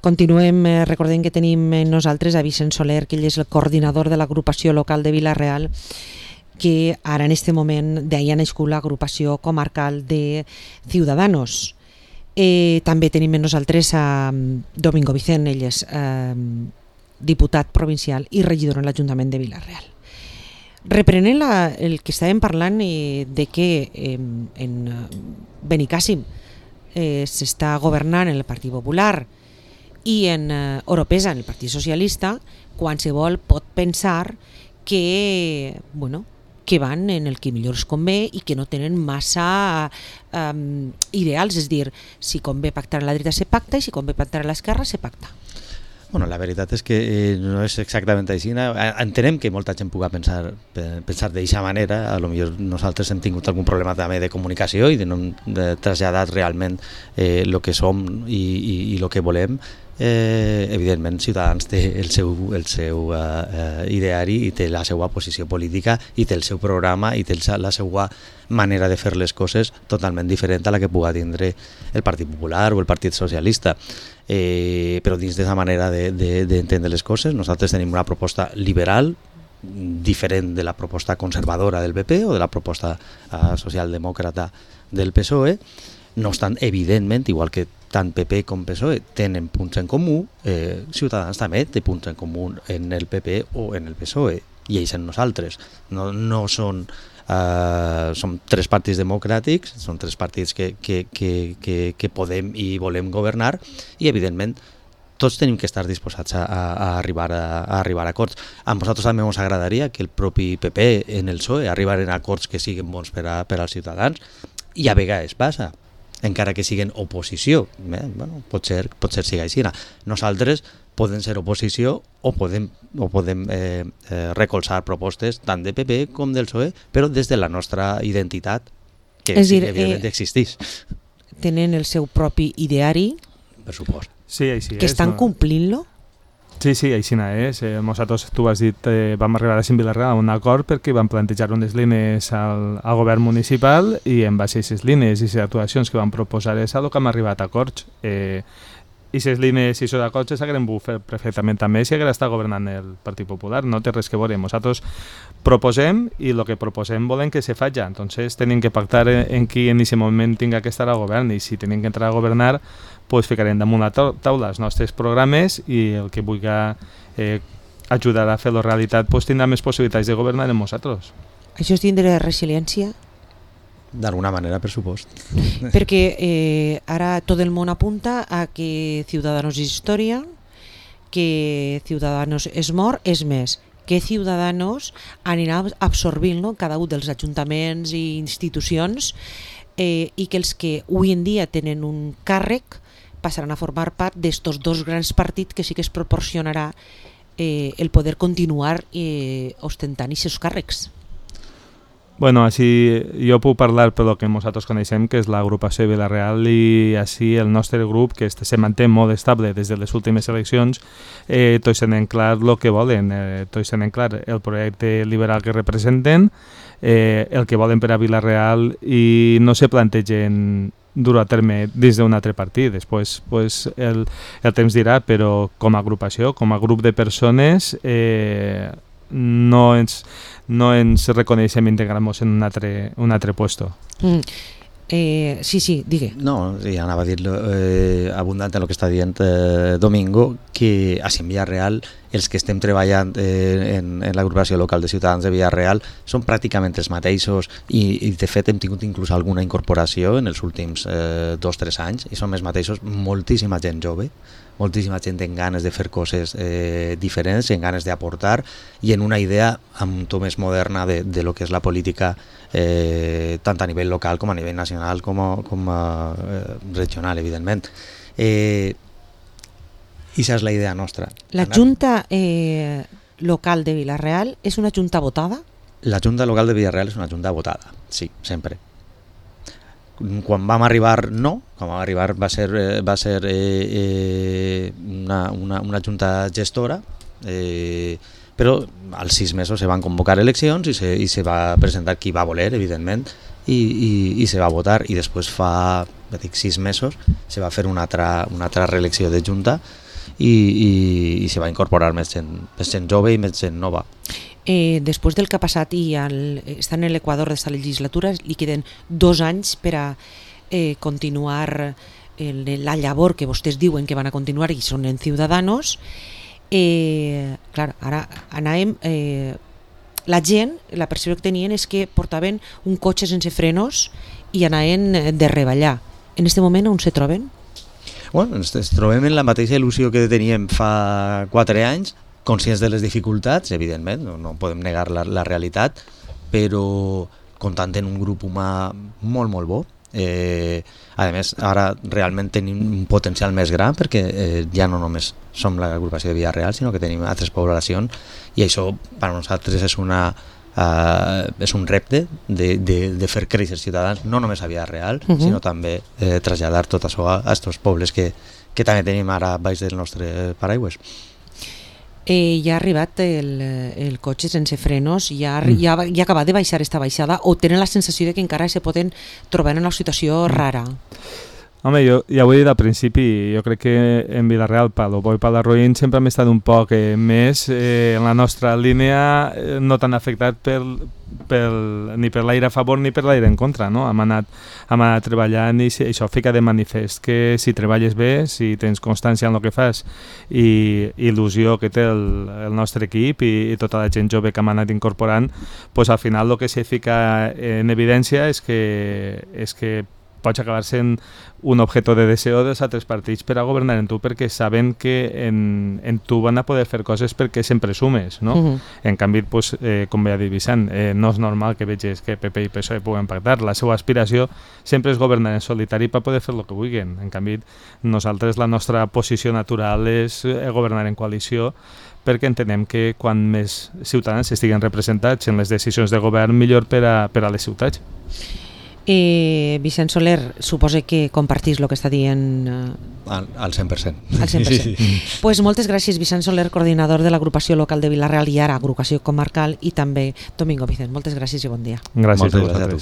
Continuem recordant que tenim nosaltres a Vicent Soler, que ell és el coordinador de l'agrupació local de Vila-real, que ara en este moment d'ahir ha nascut l'agrupació comarcal de Ciudadanos. També tenim amb nosaltres a Domingo Vicent, ell és diputat provincial i regidor en l'Ajuntament de Vila-real. Reprenent el que estàvem parlant de que en Benicàssim s'està governant en el Partit Popular i en Oropesa, en el Partit Socialista, qualsevol pot pensar que van en el que millor es convé i que no tenen massa ideals, és dir, si convé pactar a la dreta se pacta i si convé pactar a l'esquerra se pacta. Bueno, la veritat és que no és exactament així. Entenem que molta gent pugui pensar d'aquesta manera. A lo millor nosaltres hem tingut algun problema també de comunicació i de no traslladar realment el que som i el que volem. Evidentment, Ciutadans té el seu ideari i té la seva posició política i té el seu programa i té la seva manera de fer les coses totalment diferent a la que pugui tindre el Partit Popular o el Partit Socialista. Però dins d'aquesta manera d'entendre les coses, nosaltres tenim una proposta liberal diferent de la proposta conservadora del PP o de la proposta socialdemòcrata del PSOE. No obstant, evidentment, igual que tant PP com PSOE tenen punts en comú, Ciutadans també té punts en comú en el PP o en el PSOE, i ells en nosaltres. No són tres partits democràtics, són tres partits que podem i volem governar, i evidentment tots tenim que estar disposats a arribar a acords. A nosaltres també ens agradaria que el propi PP en el PSOE arribaren a acords que siguin bons per als ciutadans, i a vegades passa, encara que siguin oposició. Pot ser sigui així. Nosaltres podem ser oposició o podem recolzar propostes tant de PP com del PSOE, però des de la nostra identitat, que evidentment existeix. Tenen el seu propi ideari, per supost. Sí, així que estan complint-lo? Sí, així és. Nosaltres, tu has dit, vam arribar a Vila-real a un acord perquè vam plantejar unes línies al govern municipal i en base a aquestes línies i les actuacions que vam proposar és el que hem arribat a acords. I aquestes línies i aquests acords s'hagueren pogut fer perfectament també si hagués estat governant el Partit Popular. No té res que veure. Nosaltres proposem i el que proposem volem que se faci. Entonces tenim que pactar en qui en aquest moment tinga que estar al govern, i si tenim que entrar a governar, pues ficarem damunt la taula els nostres programes i el que vulgui ajudar a fer-lo realitat pues tindrà més possibilitats de governar amb nosaltres. Això és tindre resiliència? D'alguna manera, per supost. Perquè ara tot el món apunta a que Ciudadanos és història, que Ciudadanos és mort, és més, que Ciudadanos anirà absorbint cada un dels ajuntaments i institucions i que els que avui en dia tenen un càrrec passaran a formar part d'estos dos grans partits que sí que es proporcionarà el poder continuar ostentant aquests càrrecs. Bueno, així jo puc parlar per el que nosaltres coneixem, que és l'agrupació de Vila-real, i així el nostre grup, que se manté molt estable des de les últimes eleccions, tots tenen clar el que volen, tots tenen clar el projecte liberal que representen, el que volen per a Vila-real, i no se plantegen dur a terme dins d'un altre partit. Després el temps dirà, però com a agrupació, com a grup de persones, no ens reconeixem integrant-nos en un altre puesto. Sí, digue. No, ja anava a dir-lo abundant en el que està dient Domingo, que a Vila-real els que estem treballant en l'agrupació local de Ciutadans de Vila-real són pràcticament els mateixos, i de fet hem tingut inclús alguna incorporació en els últims 2-3 anys, i són els mateixos, moltíssima gent jove, moltíssima gent en ganes de fer coses diferents, en ganes d'aportar, i en una idea amb un to més moderna de lo que és la política, tant a nivell local com a nivell nacional com a regional, evidentment. I això és la idea nostra. La Junta local de Vila-real és una junta votada? La Junta local de Vila-real és una junta votada, sí, sempre. Quan vam arribar, no. Quan vam arribar va ser una junta gestora, però als 6 mesos se van convocar eleccions i se va presentar qui va voler, evidentment, i se va votar, i després fa 6 mesos se va fer una altra reelecció de junta, i s'hi va incorporar més gent jove i més gent nova. Després del que ha passat i estan en l'equador d'esta legislatura, li queden 2 anys per a continuar la llavor que vostès diuen que van a continuar i són en Ciudadanos. Clar, ara anàvem... La gent, la percepció que tenien és que portaven un cotxe sense frenos i anaven de reballar. En aquest moment on se troben? Bueno, ens trobem en la mateixa il·lusió que teníem fa 4 anys, conscients de les dificultats, evidentment, no podem negar la realitat, però comptant en un grup humà molt, molt bo. A més, ara realment tenim un potencial més gran perquè ja no només som l'agrupació de Vila-real, sinó que tenim altres poblacions i això per a nosaltres és un repte de fer créixer Ciutadans, no només a Vila-real, sinó també traslladar tot això a aquests pobles que també tenim ara baix del nostre paraigües. Ja ha arribat el cotxe sense frenos, ja ha acabat de baixar esta baixada, o tenen la sensació de que encara se poden trobar en una situació rara? Home, jo ja ho he dit al principi, jo crec que en Vila-real, pel bo i pel roïn, sempre hem estat un poc més en la nostra línia, no tan afectat ni per l'aire a favor ni per l'aire en contra, no? Hem anat treballant i això fica de manifest que si treballes bé, si tens constància en el que fas i il·lusió que té el nostre equip i tota la gent jove que hem anat incorporant, pues al final el que se fica en evidència és que pots acabar sent un objeto de deseo dels altres partits per a governar en tu perquè saben que en tu van a poder fer coses perquè sempre sumes, no? En canvi, pues, com bé ha dit Vicent, no és normal que vegis que PP i PSOE puguen pactar. La seva aspiració sempre és governar en solitari per poder fer el que vulguin. En canvi, nosaltres la nostra posició natural és governar en coalició perquè entenem que quan més ciutadans estiguen representats en les decisions de govern, millor per a les ciutats. Vicent Soler, suposa que compartís el que està dient... Al 100%. Al 100%. Pues moltes gràcies, Vicent Soler, coordinador de l'agrupació local de Vila-real i ara agrupació comarcal, i també Domingo Vicent. Moltes gràcies i bon dia. Gràcies a vosaltres.